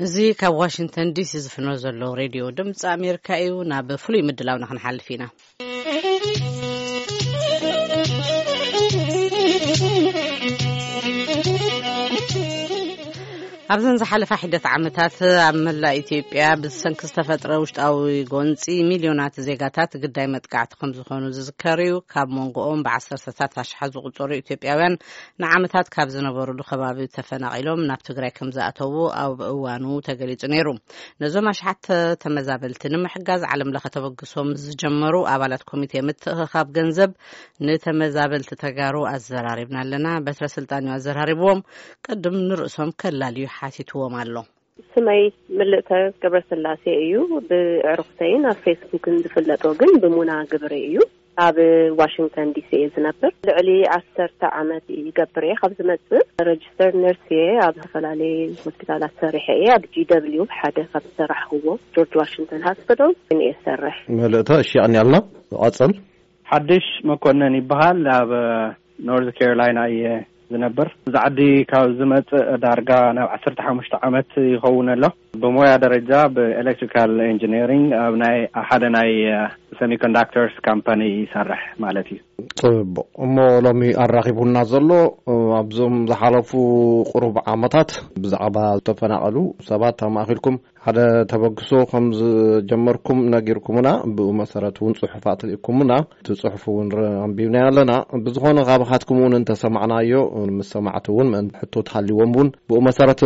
እዚ ካብ ዋሽንግተን ዲሲ ዝፍኖ ዘሎ ሬድዮ ድምፂ ኣሜሪካ እዩ። ናብ ፍሉይ ምድላውና ክንሓልፍ ኢና። ኣብዘን ዝሓለፋ ሒደት ዓመታት ኣብ መላእ ኢትዮጵያ ብሰንኪ ዝተፈጥረ ውሽጣዊ ጎንፂ ሚልዮናት ዜጋታት ግዳይ መጥቃዕቲ ከም ዝኾኑ ዝዝከር እዩ። ካብ መንጎኦም ብዓሰርተታት ኣሽሓት ዝቑጸሩ ኢትዮጵያውያን ንዓመታት ካብ ዝነበሩሉ ከባቢ ተፈናቒሎም ናብ ትግራይ ከም ዝኣተዉ ኣብ እዋኑ ተገሊጹ ነይሩ። ነዞም ኣሽሓት ተመዛበልቲ ንምሕጋዝ ዓለም ለኸ ተበግሶ ምስ ዝጀመሩ ኣባላት ኮሚቴ ምትእኽኻብ ገንዘብ ንተመዛበልቲ ተጋሩ ኣዘራሪብና ኣለና። በትረ ስልጣን እዩ ኣዘራሪብዎም። ቅድም ንርእሶም ከላልዩ ሓቲትዎም ኣሎ። ስመይ ምልእተ ገብረስላሴ እዩ። ብዕሩኽተይን ኣብ ፌስቡክን ዝፍለጦ ግን ብሙና ግብሪ እዩ። ኣብ ዋሽንግተን ዲሲ እየ ዝነብር። ልዕሊ ዓሰርተ ዓመት ይገብር እየ። ካብ ዝመጽእ ረጅስተር ነርስ እየ። ኣብ ዝተፈላለየ ሆስፒታላት ሰሪሐ እየ። ኣብ ጂ ደብሊው ሓደ ካብ ዝሰራሕክዎ ጆርጅ ዋሽንግተን ሃስፒታል እየ ዝሰርሕ። ምልእተ፣ እሺ፣ ቀንያልና። ቀጽል። ሓድሽ መኮነን ይበሃል። ኣብ ኖርዝ ካሮላይና እየ ዝነብር። እዚ ዓዲ ካብ ዝመጽእ ዳርጋ ናብ ዓሰርተ ሓሙሽተ ዓመት ይኸውን ኣሎ። ብሞያ ደረጃ ብኤሌክትሪካል ኢንጂነሪንግ ኣብ ናይ ሓደ ናይ ሰሚኮንዳክተርስ ካምፓኒ ይሰርሕ ማለት እዩ። ጽቡቕ። እሞ ሎሚ ኣራኺቡና ዘሎ ኣብዞም ዝሓለፉ ቁሩብ ዓመታት ብዛዕባ ዝተፈናቐሉ ሰባት ኣማእኺልኩም ሓደ ተበግሶ ከም ዝጀመርኩም ነጊርኩምና፣ ብኡ መሰረት እውን ጽሑፋት ልኢኩምና፣ እቲ ጽሑፍ እውን ረ-፣ ኣንቢብናዮ ኣለና። ብዝኾነ፣ ካባኻትኩም እውን እንተሰማዕናዮ፣ ምስ ሰማዕቲ እውን ምእንቲ ሕቶ ተሃልይዎም እውን ብኡ መሰረት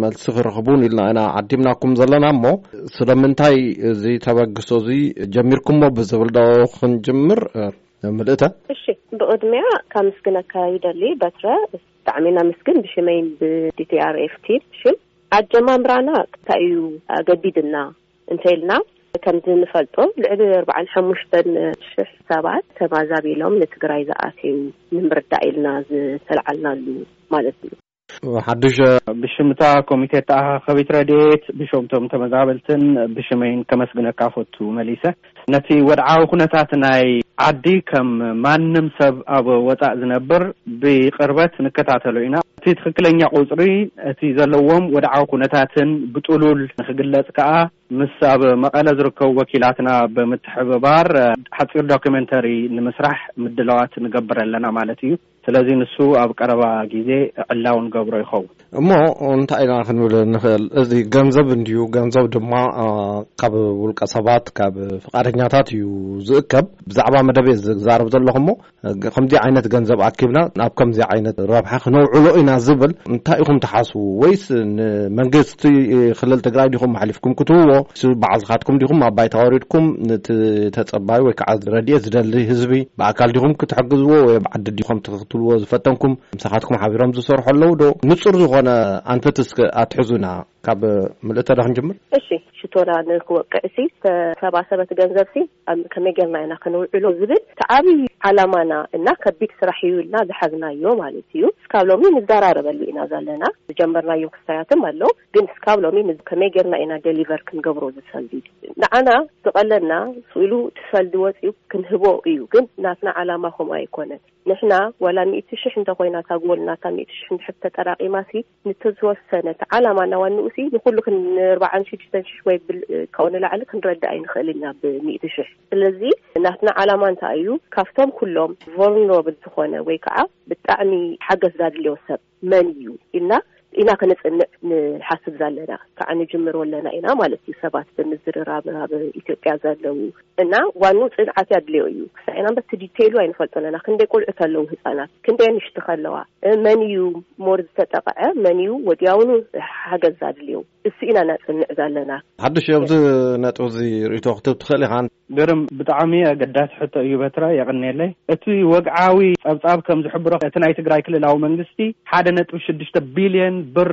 መልሲ ክረኽቡ እውን ኢልና ኢና ዓዲምናኩም ዘለና። እሞ ስለምንታይ እዚ ተበግሶ እዚ ጀሚርኩሞ ብዝብል ዶ ክንጅምር? ምልእተ። እሺ፣ ብቕድሚያ ካመስግነካ ይደሊ በትረ። ብጣዕሚ እናመስግን ብሽመይን ብዲ ቲ ኣር ኤፍ ቲም ሽም። ኣጀማምራና እንታይ እዩ ኣገዲድና እንተኢልና፣ ከምዚ ንፈልጦ ልዕሊ ኣርባዓን ሓሙሽተን ሽሕ ሰባት ተማዛቢሎም ንትግራይ ዝኣትዩ ንምርዳእ ኢልና ዝተልዓልናሉ ማለት እዩ። ሓድሽ ብሽምታ ኮሚቴ ተኣኻኸቢት ረድኤት፣ ብሽምቶም ተመዛበልትን ብሽመይን ከመስግነካ ፈቱ መሊሰ። ነቲ ወድዓዊ ኩነታት ናይ ዓዲ ከም ማንም ሰብ ኣብ ወጻእ ዝነብር ብቅርበት ንከታተሎ ኢና። እቲ ትኽክለኛ ቁጽሪ፣ እቲ ዘለዎም ወድዓዊ ኩነታትን ብጥሉል ንክግለጽ ከኣ ምስ ኣብ መቐለ ዝርከቡ ወኪላትና ብምትሕብባር ሓጺር ዶክመንተሪ ንምስራሕ ምድላዋት ንገብር ኣለና ማለት እዩ። ስለዚ ንሱ ኣብ ቀረባ ግዜ ዕላው ንገብሮ ይኸውን። እሞ እንታይ ኢና ክንብል ንኽእል? እዚ ገንዘብ እንድዩ፣ ገንዘብ ድማ፣ አ፣ ካብ ውልቀ ሰባት፣ ካብ ፍቓደኛታት እዩ ዝእከብ። ብዛዕባ መደብ እየ ዝዛረብ ዘለኹ እሞ፣ ከምዚ ዓይነት ገንዘብ ኣኪብና ናብ ከምዚ ዓይነት ረብሓ ክነውዕሎ ኢና ዝብል እንታይ ኢኹም ትሓስቡ? ወይስ ንመንግስቲ ክልል ትግራይ ዲኹም ኣሕሊፍኩም ክትህብዎ? ወይስ ባዕልኻትኩም ዲኹም ኣብ ባይታ ወሪድኩም ነቲ ተጸባዩ ወይ ከዓ ረድኤት ዝደሊ ህዝቢ ብኣካል ዲኹም ክትሕግዝዎ ወይ ኣብ ዓዲ ዲኹም ትኽትልዎ ዝፈተንኩም? ምሳኻትኩም ሓቢሮም ዝሰርሑ ኣለዉ ዶ? ንጹር ዝኾነ ኣንፈት እስከ ኣትሕዙና። ካብ ምልእተ ዶ ክንጅምር? እሺ፣ ሽቶና ንክወቅዕ ሲ ዝተሰባሰበት ገንዘብ ሲ ኣብ ከመይ ጌርና ኢና ከነውዕሎ ዝብል እቲ ዓብዪ ዓላማና እና ከቢድ ስራሕ እዩ ኢልና ዝሓዝናዮ ማለት እዩ። እስካብ ሎሚ ንዘራረበሉ ኢና ዘለና። ዝጀመርናዮም ክስታያትም ኣለዉ፣ ግን እስካብ ሎሚ ን-፣ ከመይ ጌርና ኢና ደሊቨር ክንገብሮ ዝሰልዲ? ንዓና ዝቐለና ስኢሉ እቲ ሰልዲ ወፂኡ ክንህቦ እዩ፣ ግን ናትና ዓላማ ከምኡ ኣይኮነን። ንሕና ዋላ ሚእቲ ሽሕ እንተኾይና እታ ጎል ናታ ሚእቲ ሽሕ እንድሕር ተጠራቒማ ሲ ንተዝወሰነ እቲ ዓላማ እናዋንኡ ሲ ንኹሉ ክን-፣ ንኣርባዓን ሽዱሽተን ሽሕ ወይ ብል-፣ ካብኡ ንላዕሊ ክንረድእ ኣይንኽእል ኢና ብሚእቲ ሽሕ። ስለዚ ናትና ዓላማ እንታይ እዩ? ካብቶም ኩሎም ቮልነራብል ዝኾነ ወይ ከዓ ብጣዕሚ ሓገዝ ዛድልዮ ሰብ መን እዩ ኢልና ኢና ክነጽንዕ ንሓስብ ዘለና። ከዓ ንጅምር ኣለና ኢና ማለት እዩ። ሰባት ብምዝርራብ ኣብ ኢትዮጵያ ዘለዉ እና ዋኑ ጽንዓት ያድልዮ እዩ። ክሳዕና እምበር እቲ ዲቴይሉ ኣይንፈልጦ ኣለና። ክንደይ ቆልዑ ከለዉ ህጻናት፣ ክንደይ ኣንሽቲ ከለዋ፣ እ፣ መን እዩ ሞር ዝተጠቕዐ፣ መን እዩ ወዲያውኑ ሓገዝ ኣድልዮ፣ እሱ ኢና ነጽንዕ ዘለና። ሓድሽ ኣብዚ ነጥቢ እዚ ርእይቶ ክትህብ ትኽእል ኢኻ። ግርም፣ ብጣዕሚ ኣገዳሲ ሕቶ እዩ በትረ፣ የቐንየለይ። እቲ ወግዓዊ ጸብጻብ ከም ዝሕብሮ፣ እቲ ናይ ትግራይ ክልላዊ መንግስቲ ሓደ ነጥቢ ሽዱሽተ ቢልዮን ብር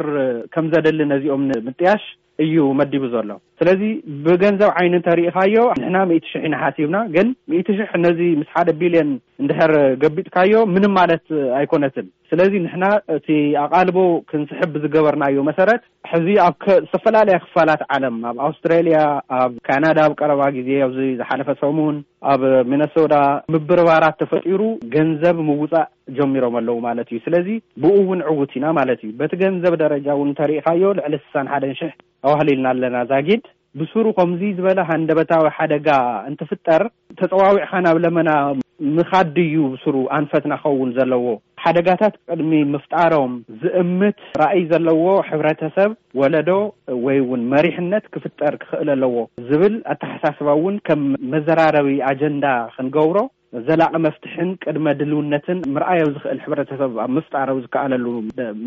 ከም ዘደሊ ነዚኦም ንምጥያሽ እዩ መዲቡ ዘሎ። ስለዚ ብገንዘብ ዓይኒ እንተሪኢኻዮ ንሕና ሚእቲ ሽሕ ኢና ሓሲብና፣ ግን ሚእቲ ሽሕ ነዚ ምስ ሓደ ቢልዮን እንድሕር ገቢጥካዮ ምንም ማለት ኣይኮነትን። ስለዚ ንሕና እቲ ኣቓልቦ ክንስሕብ ብዝገበርናዮ መሰረት ሕዚ ኣብ ከ- ዝተፈላለያ ክፋላት ዓለም፣ ኣብ ኣውስትራልያ፣ ኣብ ካናዳ፣ ኣብ ቀረባ ግዜ ኣብዚ ዝሓለፈ ሰሙን ኣብ ሚነሶዳ ምብርባራት ተፈጢሩ ገንዘብ ምውፃእ ጀሚሮም ኣለዉ ማለት እዩ። ስለዚ ብኡ እውን ዕውት ኢና ማለት እዩ። በቲ ገንዘብ ደረጃ እውን እንተሪኢኻዮ ልዕሊ ስሳን ሓደን ሽሕ ኣዋህሊልና ኣለና ዛጊድ። ብስሩ ከምዚ ዝበለ ሃንደበታዊ ሓደጋ እንትፍጠር ተፀዋዊዕኻ ናብ ለመና ምኻድ ድዩ ብስሩ ኣንፈትና ኸውን ዘለዎ? ሓደጋታት ቅድሚ ምፍጣሮም ዝእምት ራእይ ዘለዎ ሕብረተሰብ፣ ወለዶ ወይ እውን መሪሕነት ክፍጠር ክኽእል ኣለዎ ዝብል ኣተሓሳስባ እውን ከም መዘራረቢ ኣጀንዳ ክንገብሮ፣ ዘላቒ መፍትሕን ቅድመ ድልውነትን ምርኣይ ኣብ ዝኽእል ሕብረተሰብ ኣብ ምፍጣር ኣብ ዝከኣለሉ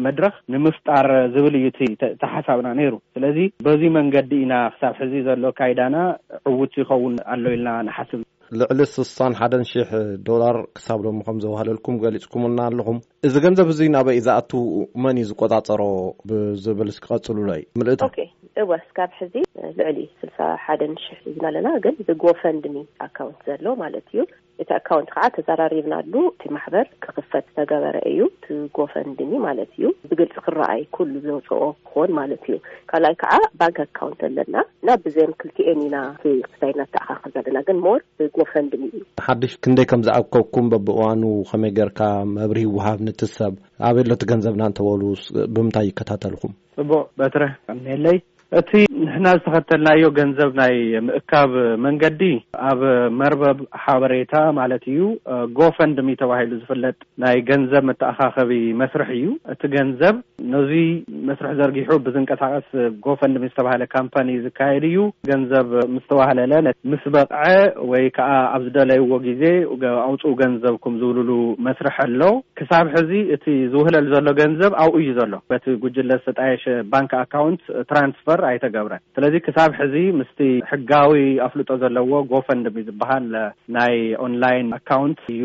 መድረኽ ንምፍጣር ዝብል እዩ እቲ ተ- ተሓሳብና ነይሩ። ስለዚ በዚ መንገዲ ኢና ክሳብ ሕዚ ዘሎ ካይዳና ዕውት ይኸውን ኣሎ ኢልና ንሓስብ። ልዕሊ ስሳን ሓደን ሽሕ ዶላር ክሳብ ሎሚ ከም ዘዋህለልኩም ገሊጽኩምልና ኣለኹም። እዚ ገንዘብ እዚ ናበይ እዩ ዝኣቱ? መን እዩ ዝቆጻጸሮ? ብዝብል እስኪ ቀጽሉለይ። ምልእታ። ኦኬ፣ እወ፣ እስካብ ሕዚ ልዕሊ ስልሳ ሓደን ሽሕ ሒዝና ኣለና፣ ግን ብጎፈንድሚ ኣካውንት ዘሎ ማለት እዩ። እቲ ኣካውንት ከዓ ተዘራሪብናሉ፣ እቲ ማሕበር ክኽፈት ዝተገበረ እዩ። እቲ ጎፈንድሚ ማለት እዩ፣ ብግልፂ ክረኣይ ኩሉ ዘውፅኦ ክኾን ማለት እዩ። ካልኣይ ከዓ ባንክ ኣካውንት ኣለና እና ብዘን ክልቲኤን ኢና እቲ ክስታይ እናተኣኻኸብ ዘለና፣ ግን ሞር ብጎፈንድሚ እዩ። ሓድሽ ክንደይ ከም ዝኣከብኩም በብእዋኑ ከመይ ጌርካ መብርሂ ይወሃብ ነቲ ሰብ? ኣበይ ኣሎ እቲ ገንዘብና እንተበሉ ስ- ብምንታይ ይከታተልኩም? ጽቡቕ በትረ ቀኒለይ። እቲ ንሕና ዝተኸተልናዮ ገንዘብ ናይ ምእካብ መንገዲ ኣብ መርበብ ሓበሬታ ማለት እዩ፣ ጎፈንድሚ ተባሂሉ ዝፍለጥ ናይ ገንዘብ መተኣኻኸቢ መስርሕ እዩ። እቲ ገንዘብ ነዚ መስርሕ ዘርጊሑ ብዝንቀሳቐስ ጎፈንድሚ ዝተባህለ ካምፓኒ ዝካየድ እዩ። ገንዘብ ምስ ተዋህለለ ነ- ምስ በቕዐ ወይ ከዓ ኣብ ዝደለይዎ ግዜ ገ- ኣውፅኡ ገንዘብኩም ዝብልሉ መስርሕ ኣሎ። ክሳብ ሕዚ እቲ ዝውህለል ዘሎ ገንዘብ ኣብኡ እዩ ዘሎ። በቲ ጉጅለ ዝተጣየሸ ባንክ ኣካውንት ትራንስፈር ኣይተገብረን። ስለዚ ክሳብ ሕዚ ምስቲ ሕጋዊ ኣፍልጦ ዘለዎ ጎፈንድሚ ዝበሃል ናይ ኦንላይን ኣካውንት እዩ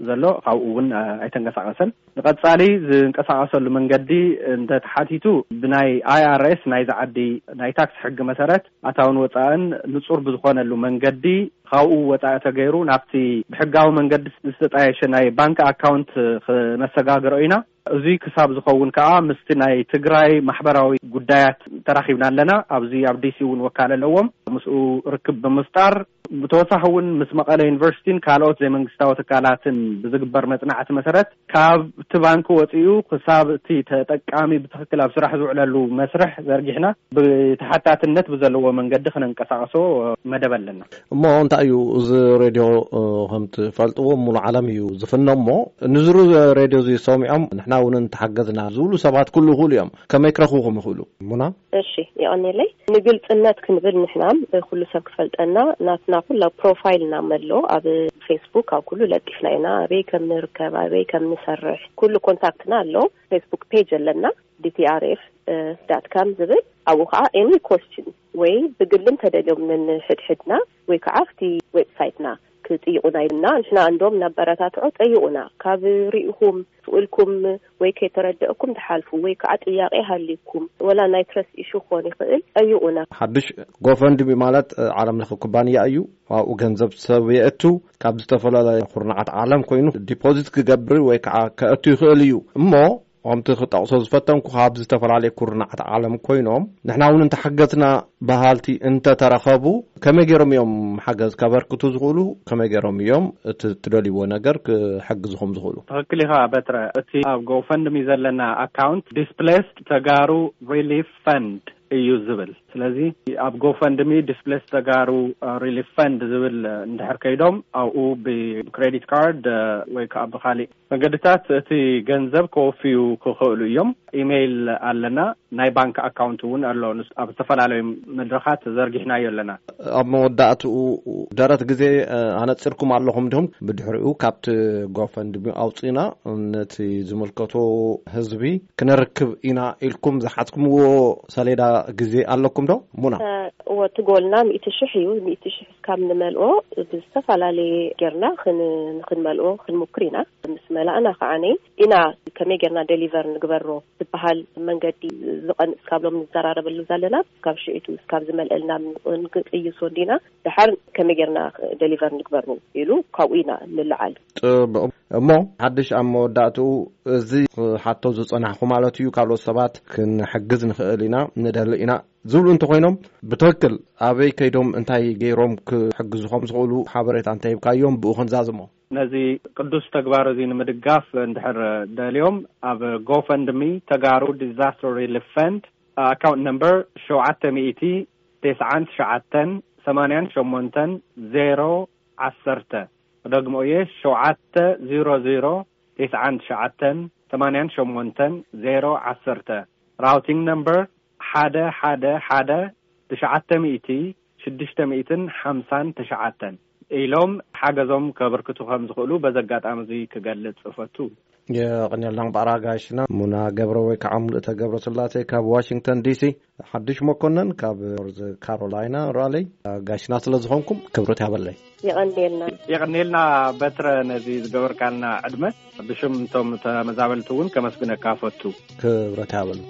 ዘሎ። ካብኡ እውን ኣይተንቀሳቐሰን። ንቐጻሊ ዝንቀሳቐሰሉ መንገዲ እንተተሓቲቱ ብናይ ኣይ ኣር ኤስ ናይዚ ዓዲ ናይ ታክስ ሕጊ መሰረት ኣታውን ወጻእን ንጹር ብዝኾነሉ መንገዲ ካብኡ ወጻኢ ተገይሩ ናብቲ ብሕጋዊ መንገዲ ዝተጣየሸ ናይ ባንክ ኣካውንት ክነሰጋግሮ ኢና። እዚ ክሳብ ዝኸውን ከዓ ምስቲ ናይ ትግራይ ማሕበራዊ ጉዳያት ተራኺብና ኣለና። ኣብዚ ኣብ ዲ ሲ እውን ወካል ኣለዎም። ምስኡ ርክብ ብምፍጣር ብተወሳኺ እውን ምስ መቐለ ዩኒቨርሲቲን ካልኦት ዘይመንግስታዊ ትካላትን ብዝግበር መጽናዕቲ መሰረት ካብቲ ባንክ ወፂኡ ክሳብ እቲ ተጠቃሚ ብትኽክል ኣብ ስራሕ ዝውዕለሉ መስርሕ ዘርጊሕና ብተሓታትነት ብዘለዎ መንገዲ ክነንቀሳቐሶ መደብ ኣለና። እሞ እንታይ እዩ እዚ ሬድዮ? እ፣ ከም ትፈልጥዎ ሙሉ ዓለም እዩ ዝፍኖ። እሞ ንዝሩ ሬድዮ እዚ ሰሚዖም ንሕና እውን እንተሓገዝና ዝብሉ ሰባት ክህሉ ይኽእሉ እዮም። ከመይ ክረኽቡኹም ይኽእሉ? ሙና? እሺ፣ የቐኔለይ። ንግልጽነት ክንብል ንሕና፣ እ፣ ኩሉ ሰብ ክፈልጠና ናትና ኩላ ፕሮፋይልና መሎ ኣብ ፌስቡክ ኣብ ኩሉ ለጢፍና ኢና። ኣበይ ከም ንርከብ፣ ኣበይ ከም ንሰርሕ ኩሉ ኮንታክትና ኣሎ። ፌስቡክ ፔጅ ኣለና፣ ዲ ቲ ኣር ኤፍ ዳት ካም ዝብል። ኣብኡ ከዓ ኤኒ ኮስችን ወይ ብግልን ተደልዮም ንሕድሕድና ወይ ከዓ ኣብቲ ዌብሳይትና ክጥይቁና ኢልና ንሕና እንዶም እናበረታትዖ ጠይቁና። ካብ ርኢኹም ስእልኩም ወይ ከይተረደእኩም ትሓልፉ ወይ ከዓ ጥያቄ ሃልይኩም ወላ ናይ ትረስት ኢሹ ክኾን ይኽእል ጠይቁና። ሓድሽ ጎፈንድሚ ማለት እ፣ ዓለም ለኸ ኩባንያ እዩ። ኣብኡ ገንዘብ ሰብ የእቱ፣ ካብ ዝተፈላለየ ኩርናዓት ዓለም ኮይኑ ዲፖዚት ክገብር ወይ ከዓ ከእቱ ይኽእል እዩ። እሞ ከምቲ ክጠቕሶ ዝፈተንኩ ካብ ዝተፈላለየ ኩርናዓት ዓለም ኮይኖም ንሕና እውን እንተሓገዝና በሃልቲ እንተተረኸቡ ከመይ ገይሮም እዮም ሓገዝ ከበርክቱ ዝኽእሉ? ከመይ ገይሮም እዮም እቲ ትደልይዎ ነገር ክሕግዝኹም ዝኽእሉ? ትኽክል ኢኻ በትረ። እቲ ኣብ ጎፈንድሚ ዘለና ኣካውንት ዲስፕሌስድ ተጋሩ ሪሊፍ ፈንድ እዩ ዝብል። ስለዚ ኣብ ጎፈንድሚ ዲስፕሌስድ ተጋሩ ሪሊፍ ፈንድ ዝብል እንድሕር ከይዶም ኣብኡ ብክሬዲት ካርድ ወይ ከዓ ብካሊእ መገድታት እቲ ገንዘብ ከወፍዩ ክኽእሉ እዮም። ኢሜይል ኣለና፣ ናይ ባንክ ኣካውንት እውን ኣሎ። ንስ- ኣብ ዝተፈላለዩ መድረኻት ዘርጊሕናዮ ኣለና። ኣብ መወዳእትኡ ደረት ግዜ እ፣ ኣነፂርኩም ኣለኹም ዲኹም? ብድሕሪኡ ካብቲ ጎፈንድሚ ኣውፂና ነቲ ዝምልከቶ ህዝቢ ክነርክብ ኢና ኢልኩም ዝሓዝኩምዎ ሰሌዳ ግዜ ኣለኩም ዶ? ሙና? እ፣ እወ፣ እቲ ጎልና ሚእቲ ሽሕ እዩ። ሚእቲ ሽሕ እስካብ ንመልኦ ብዝተፈላለየ ጌርና ክን- ንክንመልኦ ክንሙክር ኢና። ምስ መላእና ከዓኒ ኢና ከመይ ጌርና ደሊቨር ንግበሮ ዝበሃል መንገዲ ዝቐንስ ካብሎም ንዘራረበሉ ዘለና፣ ካብ ሽዒቱ እስካብ ዝመልአልና ንቅይሶ እንዲና፣ ድሓር ከመይ ጌርና ደሊቨር ንግበሩ ኢሉ ካብኡ ኢና ንልዓል። ጽቡቕ። እሞ ሓድሽ ኣብ መወዳእትኡ፣ እዚ ክሓቶ ዝጸናሕኩ ማለት እዩ፣ ካልኦት ሰባት ክንሕግዝ ንኽእል ኢና፣ ንደሊ ኢና ዝብሉ እንተኾይኖም፣ ብትኽክል ኣበይ ከይዶም እንታይ ገይሮም ክሕግዙ ከም ዝኽእሉ ሓበሬታ እንተሂብካዮም ብኡ ክንዛዝሞ። ነዚ ቅዱስ ተግባር እዚ ንምድጋፍ እንድሕር ደልዮም፣ ኣብ ጎፈንድሚ ተጋሩ ዲዛስተር ሪሊፍ ፈንድ፣ ኣካውንት ነምበር ሸውዓተ ሚእቲ ተስዓን ትሽዓተን ሰማንያን ሸሞንተን ዜሮ ዓሰርተ፣ ክደግሞ እየ፣ ሸውዓተ ዜሮ ዜሮ ተስዓን ትሽዓተን ሰማንያን ሸሞንተን ዜሮ ዓሰርተ፣ ራውቲንግ ነምበር ሓደ ሓደ ሓደ ትሽዓተ ሚእቲ ሽዱሽተ ሚእትን ሓምሳን ትሽዓተን ኢሎም ሓገዞም ከበርክቱ ከም ዝኽእሉ በዚ ኣጋጣሚ እዚ ክገልጽ እፈቱ። የቐንየልና። ባዕራ ጋሽና ሙና ገብረ ወይ ከዓ ሙሉእተ ገብረ ስላሴ ካብ ዋሽንግተን ዲሲ፣ ሓድሽ መኮነን ካብ ኖርዝ ካሮላይና ራለይ፣ ጋሽና ስለ ዝኾንኩም ክብረት ያበለይ። የቐንየልና። የቐንየልና በትረ ነዚ ዝገበርካልና ዕድመ። ብሽም እቶም ተመዛበልቲ እውን ከመስግነካ ፈቱ። ክብረት ያበሉ።